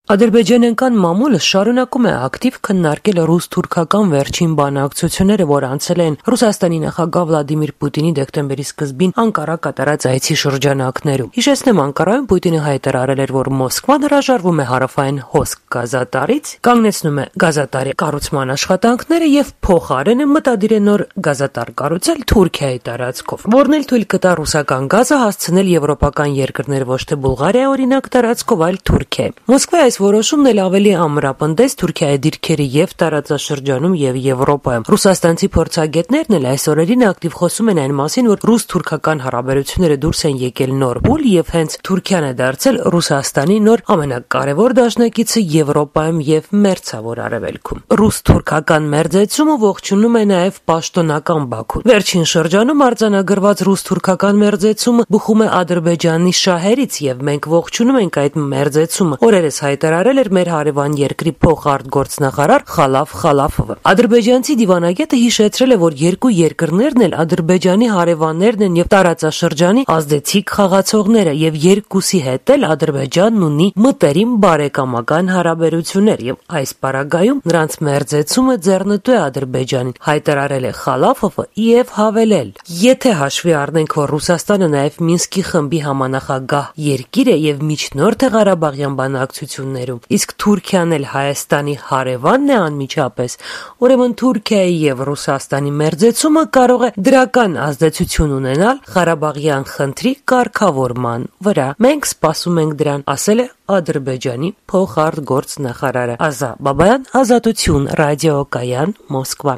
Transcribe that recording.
Ադրբեջանական մամուլը շարունակում է ակտիվ քննարկել ռուս-թուրքական վերջին բանակցությունները, որ անցել են Ռուսաստանի նախագահ Վլադիմիր Պուտինի դեկտեմբերի սկզբին Անկարա կատարած այցի շրջանակներում։ Հիշեցնեմ, Անկարայում Պուտինը հայտարարել էր, որ Մոսկվան հրաժարվում է հարավային հոսք գազատարից, կանգնեցնում է գազատարի կառուցման աշխատանքները եւ փոխարենը մտադիր է նոր գազատար կառուցել Թուրքիայի տարածքով, որն էլ թույլ կտա ռուսական գազը հասցնել եվրոպական երկրներ, ոչ թե Բուլղարիա օրինակ տարածքով, այլ Թուրքիա։ Մոսկվայի այս որոշումն էլ ավելի ամրապնդեց Թուրքիայի դիրքերը եւ տարածաշրջանում եւ Եվրոպայում։ Ռուսաստանցի փորձագետներն էլ այս օրերին ակտիվ խոսում են այն մասին, որ ռուս-թուրքական հարաբերությունները դուրս են եկել նոր փուլ եւ հենց Թուրքիան է դարձել Ռուսաստանի նոր ամենակարևոր դաշնակիցը Եվրոպայում եւ Մերձավոր Արևելքում։ Ռուս-թուրքական մերձեցումը ողջունում է նաեւ պաշտոնական Բաքուն։ Վերջին շրջանում արձանագրված ռուս-թուրքական մերձեցումը բխում է Ադրբեջանի շահերից եւ մենք ողջունում ենք այդ մերձեցումը։ Օրերս հայտարարել էր մեր հարևան երկրի փոխարտգործնախարար Խալաֆ Խալաֆովը։ Ադրբեջանցի դիվանագետը հիշեցրել է, որ երկու երկրներն էլ Ադրբեջանի հարևաններն են եւ տարածաշրջանի ազդեցիկ խաղացողները եւ երկուսի հետ էլ Ադրբեջանն ունի մտերիմ բարեկամական հարաբերություններ եւ այս պարագայում նրանց մերձեցումը ձեռնտու է Ադրբեջանին, հայտարարել է Խալաֆովը եւ հավելել. Եթե հաշվի առնենք, որ Ռուսաստանը նաեւ Մինսկի խմբի համանախագահ երկիր է եւ միջնորդ է Ղարաբաղյան բանակցություններում, իսկ Թուրքիան էլ Հայաստանի հարևանն է անմիջապես, ուրեմն Թուրքիայի եւ Ռուսաստանի մերձեցումը կարող է դրական ազդեցություն ունենալ Ղարաբաղյան խնդրի կարգավորման վրա։ Մենք սպասում ենք դրան, ասել է Ադրբեջանի փոխարտգործնախարարը։ Ազա Բաբայան, Ազատություն, ռադիոկայան, Մոսկվա։